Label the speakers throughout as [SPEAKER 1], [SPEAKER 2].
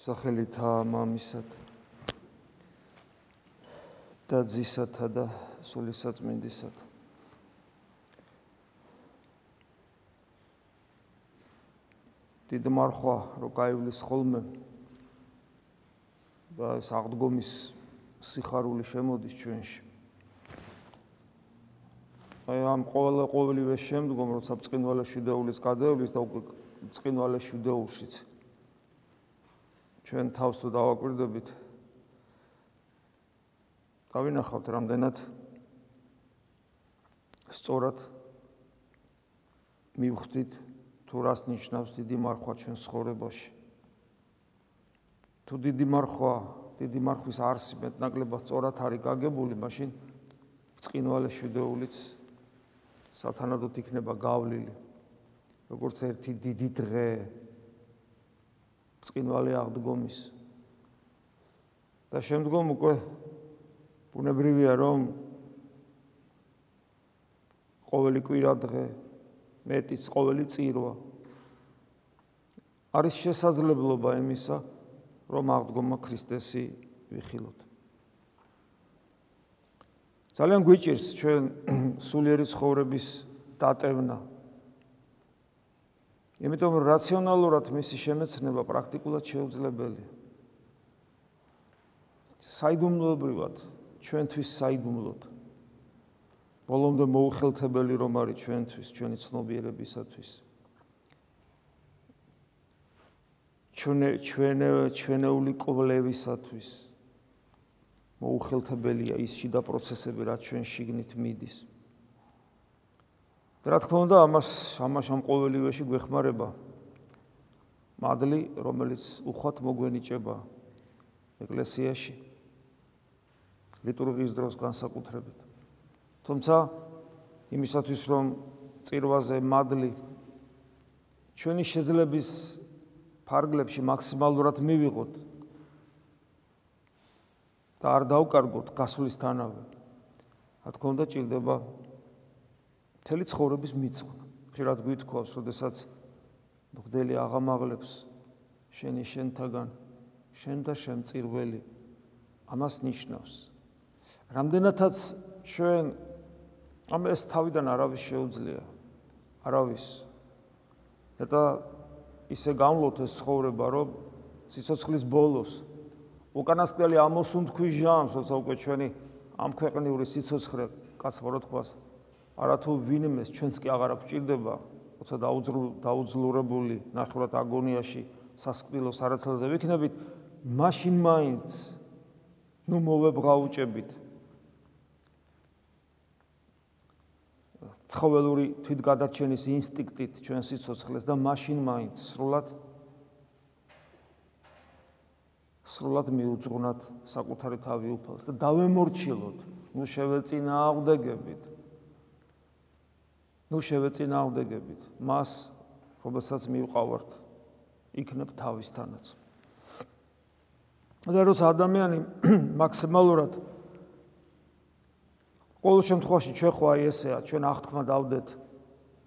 [SPEAKER 1] სახელითა მამისათა და ძისათა და სულისაწმინდისათა. დიდ მარხვა რო გაივლის ხოლმე და ეს აღდგომის სიხარული შემოდის ჩვენში. ამ ყოველივე შემდგომ როცა ბრწყინვალე შვიდეულის გადაევლის და უკვე ბრწყინვალე შვიდეულშიც ჩვენ თავს თუ დავაკვირდებით დავინახავთ რამდენად სწორად მივხვდით თუ რას ნიშნავს დიდი მარხვა ჩვენ ცხოვრებაში. თუ დიდი მარხვის არსი მეტნაკლებად სწორად არის გაგებული, მაშინ ბრწყინვალე შვიდეულიც სათანადოდ იქნება გავლილი, როგორც ერთი დიდი დღე ბრწყინვალე აღდგომის. და შემდგომ უკვე ბუნებრივია, რომ ყოველი კვირა დღე, მეტიც ყოველი წირვა არის შესაძლებლობა იმისა, რომ აღდგომა ქრისტესი ვიხილოთ. ძალიან გვიჭირს ჩვენ სულიერი ცხოვრების დატევნა. იმიტომ რომ რაციონალურად მისი შემეცნება პრაქტიკულად შეუძლებელია. საიდუმლოებრივად ჩვენთვის საიდუმლოდ. ბოლომდე მოუხელთებელი რომ არის ჩვენთვის, ჩვენი ცნობიერებისათვის. ჩვენეული კვლევისათვის მოუხელთებელია ის შიდა პროცესები, რაც ჩვენ შიგნით მიდის. და რა თქმა უნდა, ამ ყოველივეში გვეხმარება მადლი, რომელიც უხვად მოგვენიჭება ეკლესიაში ლიტურგიის დროს განსაკუთრებით. თუმცა იმისათვის, რომ წირვაზე მადლი ჩვენი შეძლების ფარგლებში მაქსიმალურად მივიღოთ და არ დავკარგოთ გასვლისთანავე, რა თქმა უნდა, ჭირდება მთელი ცხოვრების მიწყვნა. ხშირად გვითხოვს, როდესაც მღვდელი აღამაღლებს შენი შენთაგან, შენ და შენ წირველი, ამას ნიშნავს. რამდენადაც ჩვენ ეს თავიდან არავის შეუძლია, არავის. და ისე გამლოთ ეს ცხოვრება, რომ სიცოცხლის ბოლოს უკანასკნელი ამოსუნთქვის ჟამს, როცა უკვე ჩვენი ამ ქვეყნიური სიცოცხლე კაცმარო თქვას, არათუ ვინმეს ჩვენს კი აღარ გვჭირდება, როცა დაუძლურებული ნახევრად აგონიაში სასკვნილო სარაცელზე ვიქნებით, მაშინ მაინც მოვებღაუჭებით ცხოველური თვითგადარჩენის ინსტინქტით ჩვენ სიცოცხლეს და მაშინ მაინც სრულად მიუძღვნათ საკუთარი თავი უფალს და დავემორჩილოთ, შევეწინააღმდეგებით მას, რომელსაც მივყავართ, იქნებ თავისთანაც. და როცა ადამიანი მაქსიმალურად ყოველ შემთხვევაში ჩვენ ხო აი ესეა, ჩვენ აღთქმა დავდეთ,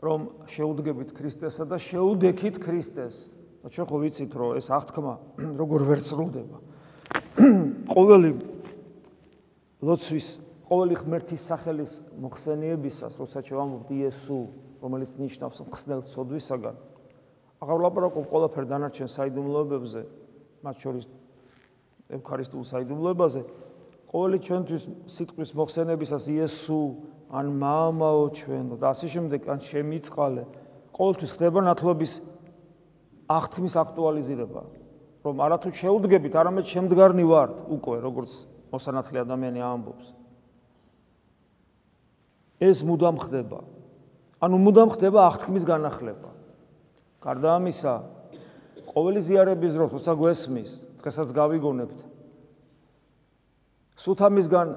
[SPEAKER 1] რომ შეუდგებით ქრისტესა და შეუდექით ქრისტეს. და ჩვენ ხო ვიცით, რომ ეს აღთქმა როგორ ვერ სრულდება. ყოველი ლოცვის, ყოველი ღმერთის სახელის მოხსენიებისას, როცა ჩვენ ვამბობთ იესო, რომელიც ნიშნავს მხსნელს სოდვისაგან, აღარ ვლაპარაკობ ყველაფერ დანარჩენ საიდუმლოებებზე, მათ შორის ევქარისტიულ საიდუმლოებაზე. ყოველი ჩვენთვის სიტყვის მოხსენებისას იესო, ან მამაო ჩვენო და ასე შემდეგ, ან შემიწყალე, ყოველთვის ხდება ნათლობის აღთქმის აქტუალიზირება, რომ არათუ შეუდგებით, არამედ შემდგარნი ვართ უკვე, როგორც მოსანათლე ადამიანი ამბობს. ეს მუდამ ხდება. მუდამ ხდება აღთქმის განახლება. გარდა ამისა, ყოველი ზიარების დროს, როცა გვესმის, დღესაც გავიგონებთ. სულ ამისგან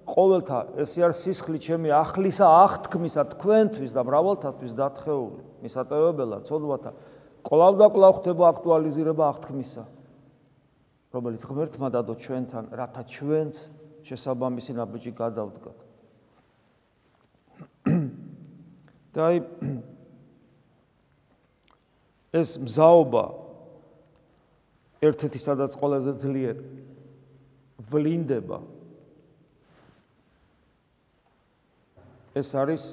[SPEAKER 1] ყოველთა ესე არის სისხლი ჩემი აღლისა აღთქმისა თქვენთვის და მრავალთათვის დათხეული, მისატევებელად, ცოდვათა, კვლავ და კვლავ ხდება აქტუალიზირება აღთქმისა, რომელიც ღმერთმა დადო ჩვენთან, რათა ჩვენც შესაბამისი ნაბიჯი გადავდგათ. და ეს მზაობა ერთ-ერთი სადაც ყველაზე ძლიერ ვლინდება ეს არის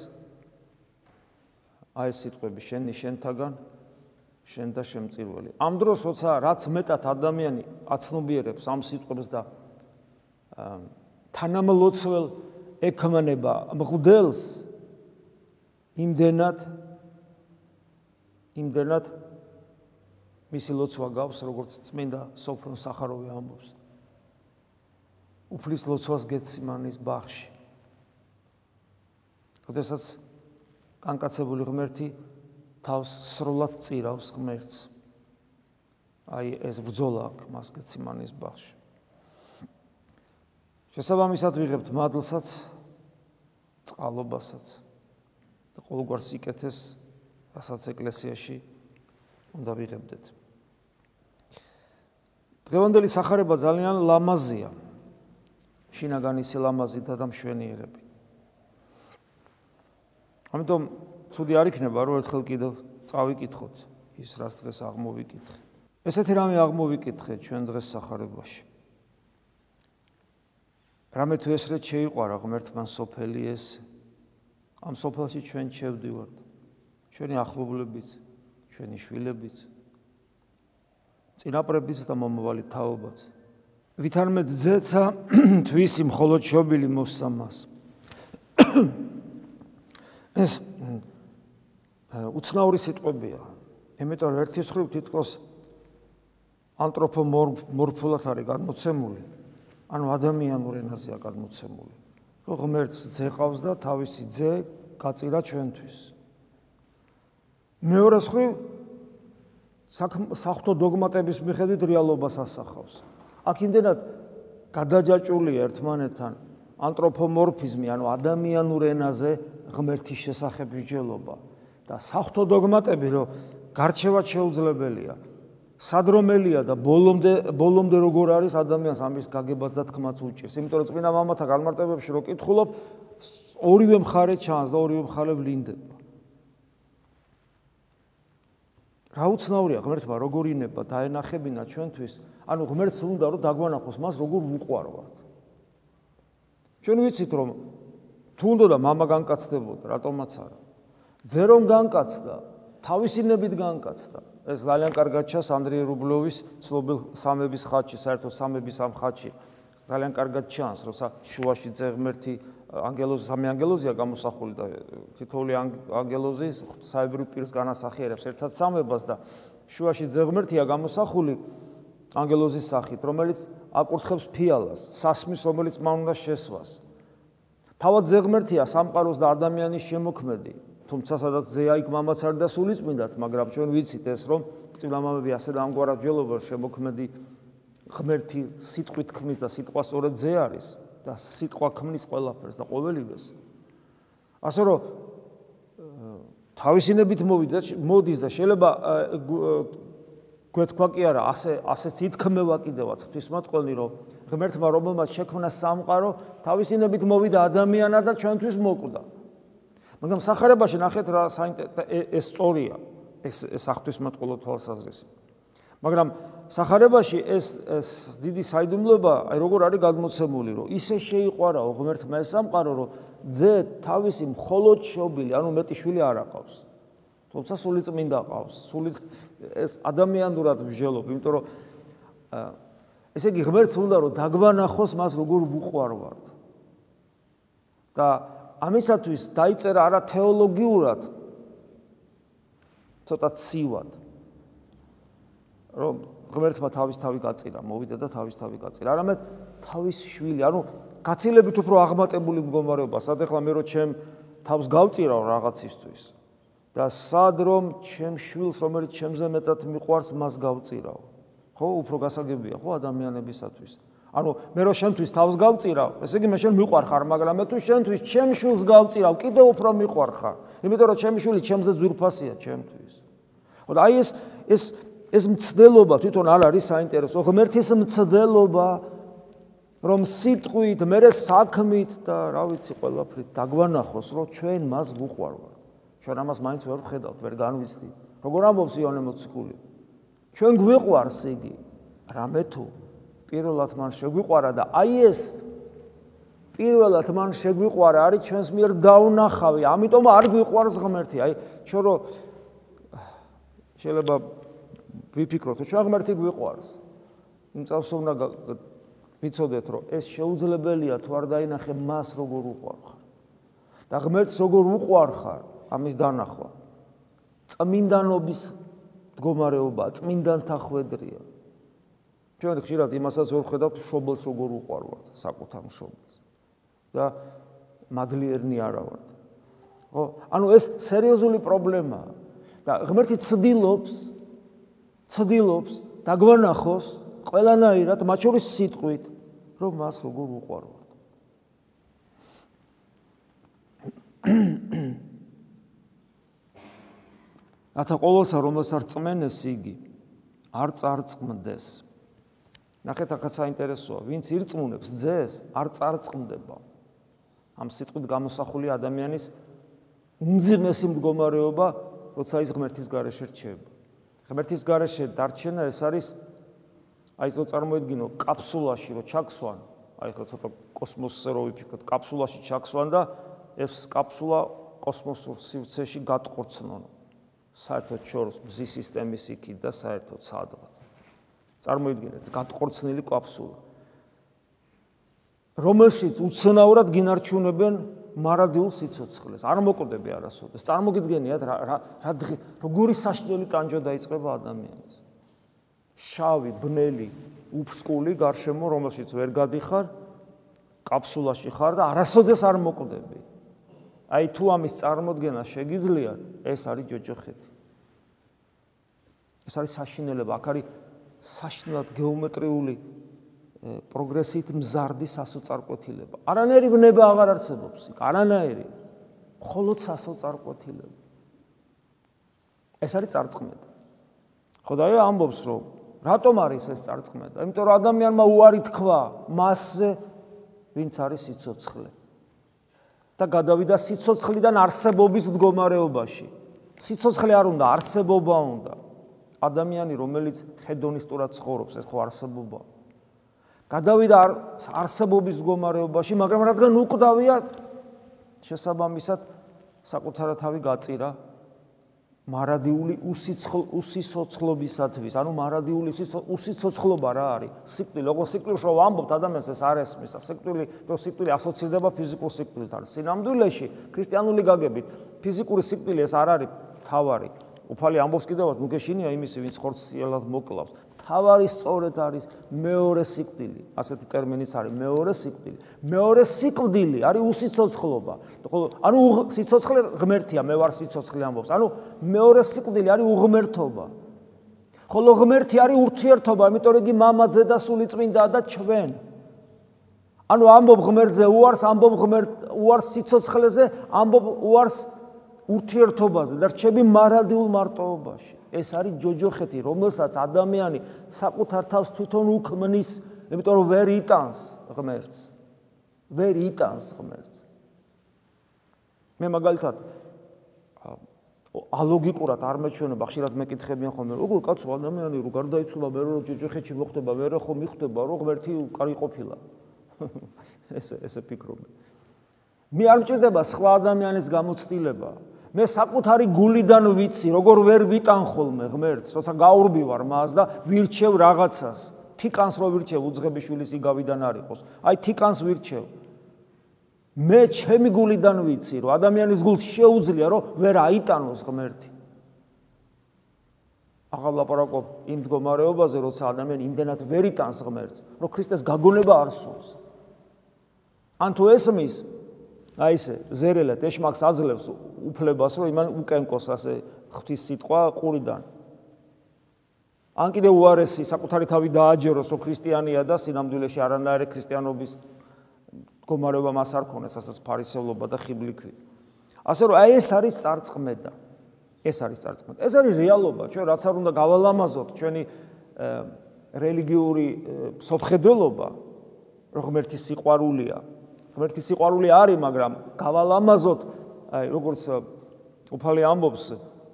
[SPEAKER 1] აი ეს სიტყვები შენი შენთაგან შენ და შემწირველი. ამ დროს როცა რაც მეტად ადამიანი აცნობიერებს ამ სიტყვებს და თანამლოცվել ექმნება მღვდელს იმდენად მისი ლოცვა გავს, როგორც წმინდა სოფრონ სახაროვი ამბობს. უფლის ლოცვას გეციმანის ბაღში. როდესაც განკაცებული ღმერთი თავს სრულად წირავს ღმერთს. აი ეს ბრძოლა აქვს მას გეციმანის ბაღში. შესაბამისად ვიღებთ მადლსაც, წყალობასაც და ყოველგვარ სიკეთეს, რასაც ეკლესიაში უნდა ვიღებდეთ. დღევანდელი სახარება ძალიან ლამაზია. შინაგანისი ლამაზითა და მშვენიერები. ამიტომ ცუდი არ იქნება, რომ ერთხელ კიდევ წავიკითხოთ ის, რაც დღეს აღმოვიკითხე. ესეთი რამე აღმოვიკითხე ჩვენ დღეს სახარებაში. რამე თუ ესრეთ შეიყვარა ღმერთმა სოფელი ეს, ამ სოფელში ჩვენ შევდივართ. ჩვენი ახლობლებიც, ჩვენი შვილებიც, წინაპრებიც და მომავალი თაობაც. ვითარმედ ძეცა თვისი მხოლოდ შობილი მოსამას. ეს უცნაური სიტყვებია. იმიტომ რომ ერთის მხრივ თითქოს ანთროპომორფულად არის გადმოცემული, ანუ ადამიანურ ენაზეა გადმოცემული. რომ ღმერთს ძე ყავს და თავისი ძე გაწირა ჩვენთვის. მეორე მხრივ საღვთო დოგმატების მიხედვით რეალობას ასახავს. აქ იმდენად გადაჯაჭვულია ერთმანეთთან ანთროპომორფიზმი, ანუ ადამიანურ ენაზე ღმერთის შესახებ მსჯელობა და საღვთო დოგმატები, რომ გარჩევაც შეუძლებელია, სადრომელია და ბოლომდე როგორ არის ადამიანს ამის გაგებას და თქმაც უჭირს. იმიტომ რომ წმინდა მამათა განმარტებებში რო კითხულობ, ორივე მხარე ჩანს და ორივე მხარე ვლინდება. რა უცნაურია ღმერთმა როგორ ინება დაენახებინა ჩვენთვის, ანუ ღმერთს უნდა რომ დაგვანახოს მას როგორ ვუყვარვართ. ჩვენ ვიცით რომ თუ უნდა მამა განკაცდებოდა, რატომაც არა. ძე რომ განკაცდა, თავისინებით განკაცდა. ეს ძალიან კარგად ჩანს ანდრიე რუბლოვის ცნობილ სამების ხატში, საერთოდ სამების ამ ხატში. ძალიან კარგად ჩანს, როცა შუაში ძე ღმერთი სამი ანგელოზია გამოსახული და თითოეული ანგელოზის საებრივ პირს განასახიერებს ერთად სამებას და შუაში ძე ღმერთია გამოსახული ანგელოზის სახით, რომელიც აკურთხებს ფიალას, სასმის, რომელიც მან უნდა შესვას. თავად ძე ღმერთია სამყაროს და ადამიანის შემოქმედი, თუმცა სადაც ძეა იქ მამაც არ და სულიწმინდაც, მაგრამ ჩვენ ვიცით ეს, რომ წმინდა მამები ასე და ამგვარად ჯელობენ შემოქმედი ღმერთი სიტყვით ქმნის და სიტყვა სწორედ ძე არის და სიტყვა ქმნის ყველაფერს და ყოველივეს. ასე რომ თავისინებით მოდის და შეიძლება გვეთქვა კი არა, ასეც ითქმება კიდევაც ღვთისმოწყალე, რომ ღმერთმა რომელმაც შექმნა სამყარო, თავისინებით მოვიდა ადამიანად და ჩვენთვის მოკვდა. მაგრამ სახარებაში ნახეთ რა ეს სწორია, ეს ღვთისმოწყალე თვალსაზრისი. მაგრამ სახარებაში ეს დიდი საიდუმლოება, აი როგორ არის გადმოცემული, რომ ისე შეიყვარაო ღმერთმა ეს სამყარო, რომ ძე თავისი მხოლოდ შობილი, ანუ მეტი შვილი არ აყავს. თუმცა სულიწმინდა ყავს, ეს ადამიანურად მსჯელობ, იმიტომ რომ ესე იგი ღმერთს უნდა რომ დაგვანახოს მას როგორ ვუყვარვართ. და ამისათვის დაიწერა არა თეოლოგიურად, ცოტა ცივად, რომ ღმერთმა თავის თავი გაწირა, მოვიდა და თავის თავი გაწირა, არამედ თავის შვილი, ანუ გაცილებით უფრო აღმატებული მდგომარეობა, სად ახლა მე რო ჩემ თავს გავწირავ რაღაცისთვის და სად რომ ჩემ შვილს, რომელიც ჩემზე მეტად მიყვარს, მას გავწირავ. ხო, უფრო გასაგებია, ხო, ადამიანებისათვის. ანუ მე რო შენთვის თავს გავწირავ, ესე იგი მე შენ მიყვარ ხარ, მაგრამ მე თუ შენთვის ჩემ შვილს გავწირავ, კიდევ უფრო მიყვარ ხარ. იმიტომ რომ ჩემი შვილი ჩემზე ძვირფასია ჩემთვის. ხო, და აი ეს მცდელობა თვითონ არ არის საინტერესო, ღმერთის მცდელობა, რომ სიტყვით, მერე საქმით და რა ვიცი, ყველაფრით დაგვანახოს, რომ ჩვენ მას ვუყვარვართ. ჩვენ ამას მაინც ვერ ვხედავთ, ვერ განვიცდით. როგორ ამბობს იონე მოციქული? ჩვენ გვიყვარს იგი. რამე თუ პირველად მან შეგვიყვარა და აი ეს პირველად მან შეგვიყვარა არის ჩვენს მიერ დაუნახავი, ამიტომ არ გვიყვარს ღმერთი. აი ჩვენ რო შეიძლება ვიფიქროთ, ჩვენ ღმერთი გვიყვარს. იმ წავს უნდა ვიცოდეთ, რომ ეს შეუძლებელია თუ არ დაინახე მას როგორ უყვარხარ. და ღმერთს როგორ უყვარხარ, ამის დანახვა. წმინდანობის მდგომარეობა, წმინდანთა ხვედრია. ჩვენ ხშირად იმასაც ვერ ხედავთ, მშობელს როგორ უყვარვართ, საკუთარ მშობელს. და მადლიერნი არა ვართ. ხო? ანუ ეს სერიოზული პრობლემაა. და ღმერთი ცდილობს დაგვანახოს ყველანაირად, მათ შორის სიტყვით, რომ მას როგორ უყვარვართ. რათა ყოველსა, რომელსაც რწმენეს იგი, არ წარწმდეს. ნახეთ, აქაც საინტერესოა, ვინც ირწმუნებს ძეს, არ წარწმდება. ამ სიტყვით გამოსახული ადამიანის უმძიმესი მდგომარეობა, როცა ის ღმერთის გარეშე რჩება. ღმერთის გარეშე დარჩენა ეს არის აი ეს რო წარმოედგინო კაფსულაში რო ჩაქსვან, აი ხო ცოტა კოსმოსზე რო ვიფიქროთ, კაფსულაში ჩაქსვან და ეს კაფსულა კოსმოსურ სივრცეში გატყორცნონ. საერთოდ შორს მზის სისტემის იქით და საერთოდ სადღაც. წარმოიდგინეთ, გატყორცნილი კაფსულა, რომელშიც უცნაურად გინარჩუნებენ მარადილ სიცოცხლეს. არ მოკვდები არასოდეს. წარმოგიდგენიათ როგორი საშინელი ტანჯვა დაიწყება ადამიანს. შავი, ბნელი, უფსკული გარშემო, რომელშიც ვერ გადიხარ, კაფსულაში ხარ და არასოდეს არ მოკვდები. აი თუ ამის წარმოდგენა შეგიძლიათ, ეს არის ჯოჯოხეთი. ეს არის საშინელება, აქ არის საშინელად გეომეტრიული პროგრესით მზარდი სასოწარკვეთილება. არანაირი ბნება აღარ არსებობს იქ, არანაირი. მხოლოდ სასოწარკვეთილება. ეს არის წარწმედა. ხო და აი ამბობს, რომ რატომ არის ეს წარწმედა? იმიტომ რომ ადამიანმა უარი თქვა მასზე, ვინც არის სიცოცხლე. და გადავიდა სიცოცხლიდან არსებობის მდგომარეობაში. სიცოცხლე არ უნდა, არსებობა უნდა. ადამიანი, რომელიც ჰედონისტურად ცხოვრობს, ეს ხო არსებობაა. გადავიდა არსებობის მდგომარეობაში, მაგრამ რადგან უკვდავია, შესაბამისად საკუთარ თავი გაწირა მარადიული უსიცოცხლობისათვის. ანუ მარადიული უსიცოცხლობა რა არის? სიკვდილი, როგორ სიკვდილს რო ვამბობთ, ადამიანს ეს არ ესმის. სიკვდილი ასოცირდება ფიზიკურ სიკვდილთან. სინამდვილეში, ქრისტიანული გაგებით, ფიზიკური სიკვდილი ეს არ არის თავარი. უფალი ამბობს კიდევაც, ნუ გეშინია იმისი, ვინც ხორციელად მოკლავს. თავარი სწორედ არის მეორე სიკვდილი. ასეთი ტერმინიც არის მეორე სიკვდილი. მეორე სიკვდილი არის უსიცოცხლობა. ანუ სიცოცხლე ღმერთია, მე ვარ სიცოცხლე ამბობს. ანუ მეორე სიკვდილი არის უღმერთობა. ხოლო ღმერთი არის ურთიერთობა, იმიტომ რომ იგი მამაძე და სულიწმინდაა და ჩვენ. ანუ ამბობ ღმერთზე უარს, ამბობ უარს სიცოცხლეზე, ამბობ უარს ურთიერთობაზე და რჩები მარადიულ მარტოობაში. ეს არის ჯოჯოხეთი, რომელსაც ადამიანი საკუთარ თავს თვითონ უქმნის, იმიტომ რომ ვერ იტანს ღმერთს. ვერ იტანს ღმერთს. მე მაგალითად ალოგიკურად არ მეჩვენება, ხშირად მეკითხებიან ხოლმე, როგორ კაცო ადამიანი რო გარდაიცვალა, მე რო ჯოჯოხეთში მოხდება, მე რო ხომ მიხვდება, რომ ღმერთი კარი ყოფილა. ესე ფიქრობენ. მე არ მჭირდება სხვა ადამიანის გამოცდილება. მე საკუთარი გულიდან ვიცი, როგორ ვერ ვიტან ხოლმე ღმერთს, როცა გაურბივარ მას და ვირჩევ რაღაცას. თიკანს რო ვირჩევ, უძღებიშვილის იგავიდან არ იყოს. აი თიკანს ვირჩევ. მე ჩემი გულიდან ვიცი, რომ ადამიანის გულს შეუძლია, რომ ვერ აიტანოს ღმერთი. აღარ ლაპარაკობ იმ მდგომარეობაზე, როცა ადამიანი იმდენად ვერ იტანს ღმერთს, რომ ქრისტეს გაგონება არ სურს. ან თუ ესმის, აი ესე ზერელად ეშმაკს აძლევს უფლებას, რომ იმან უკენკოს ასე ღვთის სიტყვა ყურიდან. ან კიდე უარესი საკუთარი თავი დააჯეროს, რომ ქრისტიანია და სინამდვილეში არანაირი ქრისტიანობის მდგომარეობა მას არ ქონეს, ასეც ფარისევლობა და ხიბლიქვი. ასე რომ აი ეს არის წარწმედა. ეს არის წარწმედა. ეს არის რეალობა. ჩვენ რაც არ უნდა გავალამაზოთ ჩვენი რელიგიური სოფხედველობა, რომ ღმერთის სიყვარულია. ღმერთის სიყვარული არის, მაგრამ გავალამაზოთ, აი როგორც უფალი ამბობს,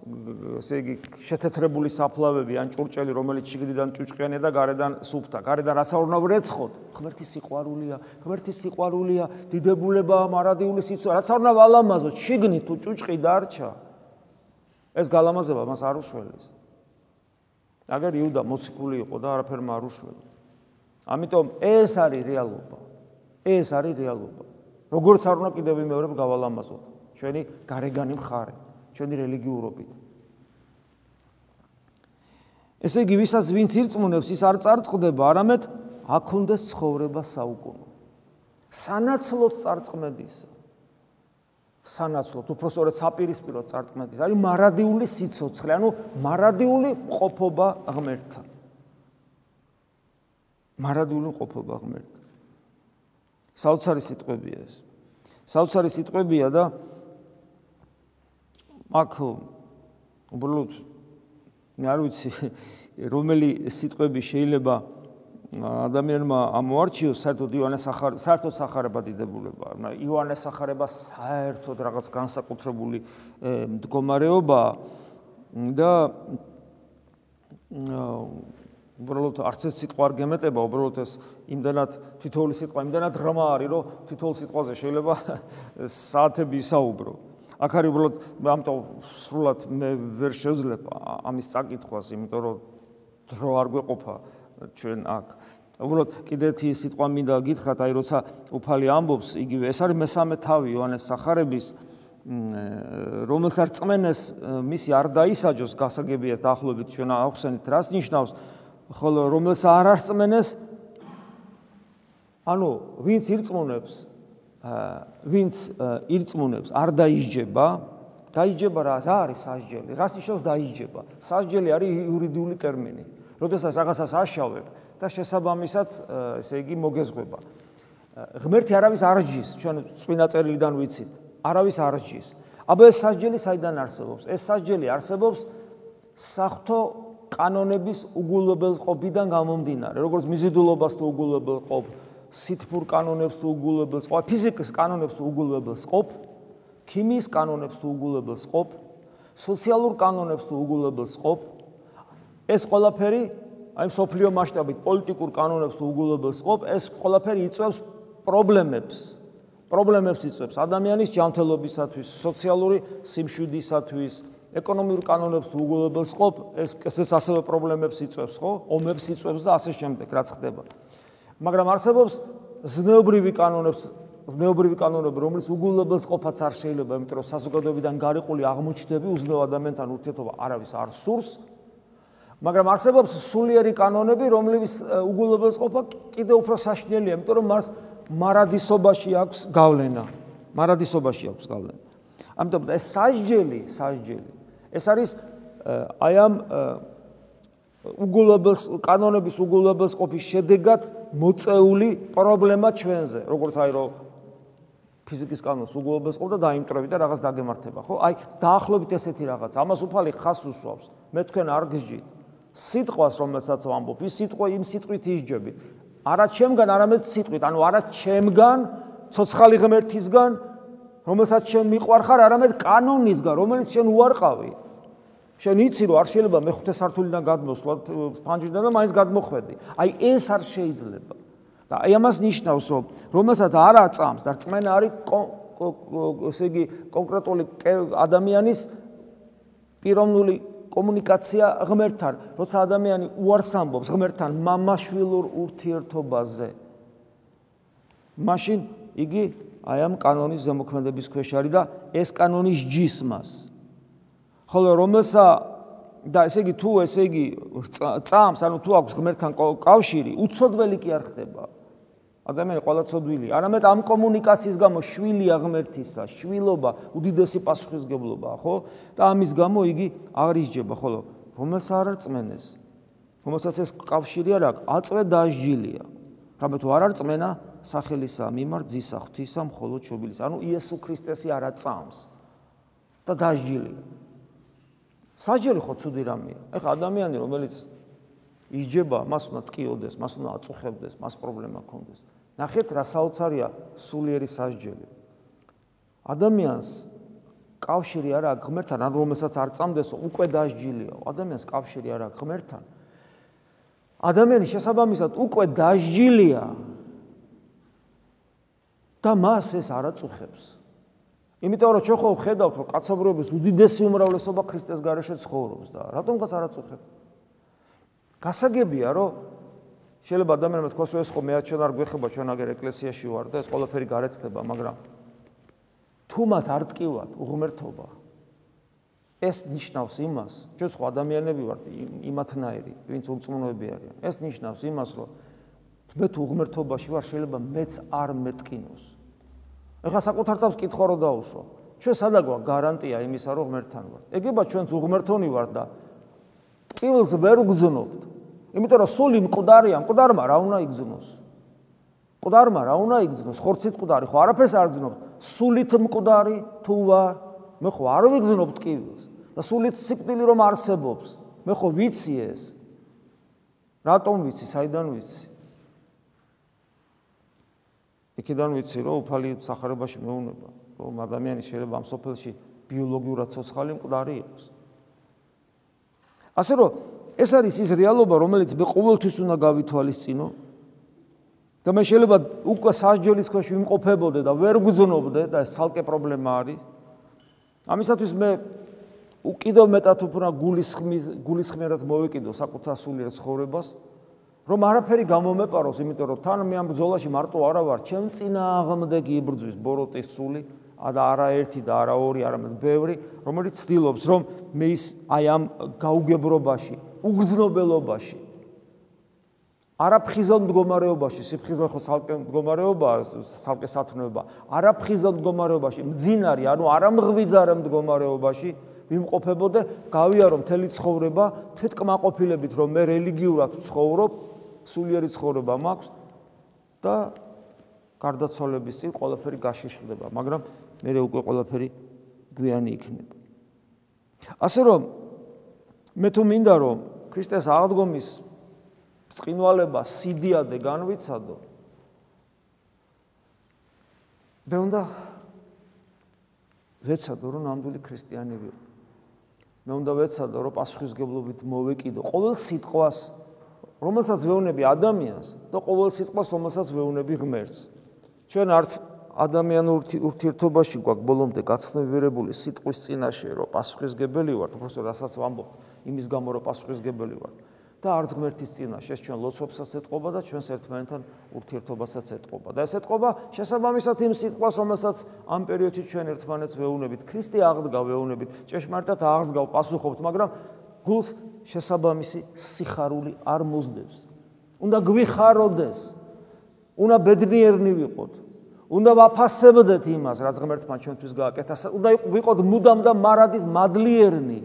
[SPEAKER 1] ესე იგი შეთეთრებული საფლავები ან ჭურჭელი, რომელიც შიგნიდან ჭუჭყიანია და გარედან სუფთა. გარედან რაცა უნდა ვრეცხოთ? ღმერთის სიყვარულია, დიდებულებაა, მარადიული სიცოცხლე. რაცა უნდა ვალამაზოთ, შიგნით თუ ჭუჭყი დარჩა, ეს გალამაზება მას არ უშველის. აგერ იუდა მოციქული იყო და არაფერმა არ უშველა. ამიტომ ეს არის რეალობა. როგორც არ უნდა კიდევ ვიმეორებ გავალამაზოთ ჩვენი გარეგანი მხარე, ჩვენი რელიგიურობით. ესე იგი, ვისაც ვინც ირწმუნებს, ის არ წარწყდება, არამედ აქონდეს ცხოვრება საუკუნო. სანაცვლოდ წარწყმედისა. სანაცვლოდ, უпроსტորად საპირისპიროდ წარწყმედის. არის მარადიული სიცოცხლე, ანუ მარადიული ყოფობა ღმერთთან. საოცარი სიტყვებია ეს. საოცარი სიტყვებია და აქ უბრალოდ მე არ ვიცი რომელი სიტყვები შეიძლება ადამიანმა ამოარჩიოს საერთოდ სახარება დიდებულება. იოანეს სახარება საერთოდ რაღაც განსაკუთრებული მდგომარეობა და უბრალოდ არც ეს სიტყვა არ გემეტება, უბრალოდ ეს იმდანად თითოეული სიტყვა იმდანად ღრმა არის, რომ თითოეულ სიტყვაზე შეიძლება საათები ისაუბრო. აქ არის უბრალოდ ამიტომ სრულად მე ვერ შევძლებ ამის წაკითხვას, იმიტომ რომ დრო არ გვეყოფა ჩვენ აქ. უბრალოდ კიდევ ერთი სიტყვა მინდა გითხრათ, აი როცა უფალი ამბობს, იგივე ეს არის მესამე თავი იოანეს სახარების, რომელსაც რწმენეს მისი არ დაისაჯოს, გასაგებია დაახლოებით ჩვენ ახსენით რას ნიშნავს, ხოლო რომელსაც არ არწმენეს, ანუ ვინც ირწმუნებს, არ დაისჯება რა არის სასჯელი? რას ნიშნავს დაისჯება? სასჯელი არის იურიდიული ტერმინი. როდესაც რაღაცას აშავებ და შესაბამისად, ესე იგი მოგეზღვება. ღმერთი არავის არ ჯის, ჩვენ წმინდა წერილიდან ვიცით, არავის არ ჯის. აბა ეს სასჯელი საიდან არსებობს? ეს სასჯელი არსებობს საღვთო კანონების უგულებელყოფიდან გამომდინარე, როგორც მიზიდულობას თუ უგულებელყოფ, სითბურ კანონებს თუ უგულებელს ყოფ, ფიზიკის კანონებს თუ უგულებელს ყოფ, ქიმიის კანონებს თუ უგულებელს ყოფ, სოციალურ კანონებს თუ უგულებელს ყოფ, ეს ყველაფერი, აი მსოფლიო მასშტაბით პოლიტიკურ კანონებს თუ უგულებელს ყოფ, ეს ყველაფერი იწვევს პრობლემებს იწვევს ადამიანის ჯანმრთელობისათვის, სოციალური სიმშვიდისათვის, ეკონომიურ კანონებს თუ უგულებელს ყოფ, ესეც ასევე პრობლემებს იწვევს, ხო? ომებს იწვევს და ასე შემდეგ, რაც ხდება. მაგრამ არსებობს ზნეობრივი კანონები, რომლის უგულებელს ყოფაც არ შეიძლება, იმიტომ რომ საზოგადოებიდან გარიყული აღმოჩნდები უზნეო ადამიანთან ურთიერთობა არავის არ სურს. მაგრამ არსებობს სულიერი კანონები, რომლის უგულებელს ყოფა კიდევ უფრო საშინელია, იმიტომ რომ მას მარადისობაში აქვს გავლენა. ამიტომ ეს სასჯელი, ეს არის აი ამ კანონების უგულებელს ყოფის შედეგად მოწეული პრობლემა ჩვენზე, როგორც აი რომ ფიზიკის კანონს უგულებელს ყოფ და დაიმტრები და რაღაც დაგემართება, ხო? აი დაახლოებით ესეთი რაღაც. ამას უფალი ხაზს უსვავს. მე თქვენ არ გსჯით. სიტყვას, რომელსაც ვამბობ, ის სიტყვა იმ სიტყვით ისჯებით. არა ჩემგან, არამედ სიტყვით, ანუ არა ჩემგან, ცოცხალი ღმერთისგან, რომელსაც შენ მიყვარხარ, არამედ კანონისგან, რომელიც შენ უარყავი. შენ იცი რომ არ შეიძლება მეხუთე სართულიდან გადმოსვლა ფანჯრიდან და მაინც გადმოხვედი. აი ეს არ შეიძლება. და აი ამას ნიშნავს რომ რომელსაც არ აწამს და რწმენა არის ესე იგი კონკრეტული ადამიანის პიროვნული კომუნიკაცია ღმერთთან, როცა ადამიანი უარს ამბობს ღმერთთან მამაშვილურ ურთიერთობაზე. მაშინ იგი აი ამ კანონის ზემოქმედების ქვეშ არის და ეს კანონი სჯის მას. ხოლო რომელსა და ესე იგი თუ ესე იგი წამს, ანუ თუ აქვს ღმერთთან კავშირი, უცოდველი კი არ ხდება. ადამიანი ყველა ცოდვილია, არამედ ამ კომუნიკაციის გამო შვილია ღმერთისა, შვილობა, უდიდესი პასუხისმგებლობაა, ხო? და ამის გამო იგი აღარ ისჯება, ხოლო რომელსაც არ არწმენეს, რომელსაც ეს კავშირი არ აქვს, აწვე დასჯილია. რამე თუ არ არწმენა, სახელისა მიმართ ძისა ღვთისა მხოლოდ შობილის, ანუ იესო ქრისტესი არ აწამს და დასჯილია. სასჯელი ხო ცუდი რამეა. ეხლა ადამიანი, რომელიც ისჯება, მას უნდა ტკიოდეს, მას უნდა აწუხებდეს, მას პრობლემა ქონდეს. ნახეთ, რა საოცარია სულიერი სასჯელი. ადამიანს კავშირი არ აქვს ღმერთთან, ან რომელსაც არ წამდეს, უკვე დასჯილია. ადამიანს კავშირი არ აქვს ღმერთთან. ადამიანი შესაბამისად უკვე დასჯილია და მას ეს არ აწუხებს. იმიტომ რომ ჩვენ ხო ხედავთ, რომ კაცობრიობის უდიდესი უმრავლესობა ქრისტეს გარეშე ცხოვრობს და რატომღაც არ აწუხებს. გასაგებია, რომ შეიძლება ადამიანმა თქვას, რომ ეს ხო მე ჩვენ არ გვეხება, ჩვენ აგერ ეკლესიაში ვარ და ეს ყველაფერი გარეთ ხდება, მაგრამ თუ მათ არ ტკივათ უღმერთობა, ეს ნიშნავს იმას, ჩვენ სხვა ადამიანები ვართ იმათნაირი, ვინც უწმუნოები არიან. ეს ნიშნავს იმას, რომ მე თუ უღმერთობაში ვარ, შეიძლება მეც არ მეტკინოს. ეხლა საკუთარ თავს კითხვა რო დაუსვა. ჩვენ სადა გვაქვს გარანტია იმისა, რომ ღმერთთან ვართ. ეგება ჩვენც უღმერთონი ვართ და ტკივილს ვერ ვგზნობთ. იმიტომ რომ სული მკვდარია, მკვდარმა რა უნდა იგზნოს? მკვდარმა რა უნდა იგზნოს? ხორცით მკვდარი ხო არაფერს არ გზნობთ. სულით მკვდარი თუ ვარ, მე ხო არ ვიგზნობ ტკივილს. და სულით სიკვდილი რომ არსებობს, მე ხო ვიცი ეს. რატომ ვიცი, საიდან ვიცი? იქიდან ვიცი, რომ უფალი სახარებაში მეუნება, რომ ადამიანი შეიძლება ამ სოფელში ბიოლოგიურად ცოცხალი მკვდარი იყოს. ასე რომ ეს არის ის რეალობა, რომელიც მე ყოველთვის უნდა გავითვალისწინო და მე შეიძლება უკვე სასჯელის ქვეშ ვიმყოფებოდე და ვერ გძნობდე და ეს ცალკე პრობლემა არის. ამისათვის მე კიდევ მეტად უფრო გულისხმიერად მოვეკიდო საკუთარ სულიერ ცხოვრებას, რომ არაფერი გამომეპაროს, იმიტომ რომ თან მე ამ ბრძოლაში მარტო არა ვარ, ჩემ წინააღმდეგი იბრძვის ბოროტის სული და არა ერთი და არა ორი, არამედ ბევრი, რომელიც ცდილობს, რომ მე ის აი ამ გაუგებრობაში, უგრძნობელობაში, არაფხიზელ მდგომარეობაში, სიფხიზელ ხო ცალკე მდგომარეობაა, ცალკე სათნოება, არაფხიზელ მდგომარეობაში, მძინარი, ანუ არამღვიძარე მდგომარეობაში ვიმყოფებოდე, გავიარო მთელი ცხოვრება თვითკმაყოფილებით, რომ მე რელიგიურად ვცხოვრობ, სულიერი ცხოვრება მაქვს და გარდაცვალების წინ ყველაფერი გაშიშვლდება, მაგრამ მე უკვე ყველაფერი გვიანი იქნება. ასე რომ მე თუ მინდა რომ ქრისტეს აღდგომის ბრწყინვალება სიდიადე განვიცადო, მე უნდა ვეცადო რომ ნამდვილი ქრისტიანი ვიყო. მე უნდა ვეცადო რომ პასუხისმგებლობით მოვეკიდო ყოველ სიტყვას, რომელსაც ვეუბნები ადამიანს და ყოველ სიტყვას, რომელსაც ვეუბნები ღმერთს. ჩვენ არც ადამიანურ ურთიერთობაში გვაქვს ბოლომდე გაცნობიერებული სიტყვის წინაშე, რომ პასუხისმგებელი ვართ, უბრალოდ რასაც ვამბობ, იმის გამო რომ პასუხისმგებელი ვართ. და არც ღმერთის წინაშე, ეს ჩვენ ლოცვებსაც ეთყობა და ჩვენს ერთმანეთთან ურთიერთობასაც ეთყობა. და ეს ეთყობა შესაბამისად იმ სიტყვას, რომელსაც ამ პერიოდში ჩვენ ერთმანეთს ვეუბნებით, ქრისტე აღდგა ვეუბნებით, ჭეშმარიტად აღსდგავ პასუხობთ, მაგრამ გულს შესაბამისი სიხარული არ მოსდევს. უნდა გვიხაროდეს, უნდა ბედნიერნი ვიყოთ, უნდა ვაფასებდეთ იმას, რაც ღმერთმა ჩვენთვის გააკეთა, უნდა ვიყოთ მუდამ და მარადის მადლიერნი.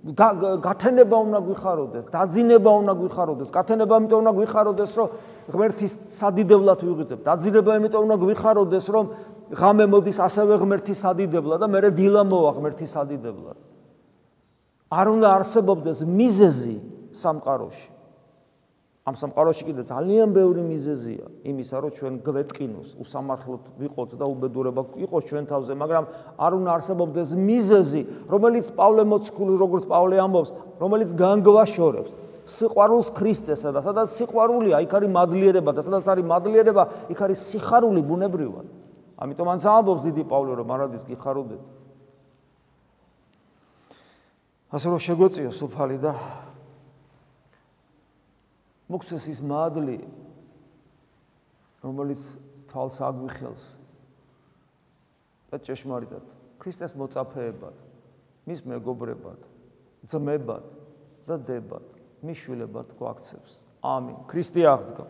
[SPEAKER 1] გათენება უნდა გვიხაროდეს, დაძინება უნდა გვიხაროდეს, გათენება ამიტომ უნდა გვიხაროდეს, რომ ღმერთის სადიდებლად ვიღებთ, დაძინება ამიტომ უნდა გვიხაროდეს, რომ ღამე მოდის ასევე ღმერთის სადიდებლად და მე დილა მოვა ღმერთის სადიდებლად. არ უნდა არსებობდეს მიზეზი სამყაროში. ამ სამყაროში კიდე ძალიან ბევრი მიზეზია იმისა, რომ ჩვენ გვეტკინოს, უსამართლოდ ვიყოთ და უბედურება იყოს ჩვენ თავზე, მაგრამ არ უნდა არსებობდეს მიზეზი, რომელიც პავლე მოციქული, როგორც პავლე ამბობს, რომელიც განგვაშორებს სიყვარულს ქრისტესა და სადაც სიყვარულია, იქ არის მადლიერება და სადაც არის მადლიერება, იქ არის სიხარული ბუნებრივად. ამიტომ ანც ამბობს დიდი პავლე, რომ მარადის გიხაროდეთ. ასე რომ შეგვეწიოს უფალი და მოგცეს ის მადლი, რომელიც თვალს აგვიხელს და ჭეშმარიტად ქრისტეს მოწაფეებად, მის მეგობრებად, ძმებად და დებად, მის შვილებად გვაქცევს. ამინ. ქრისტე აღდგა.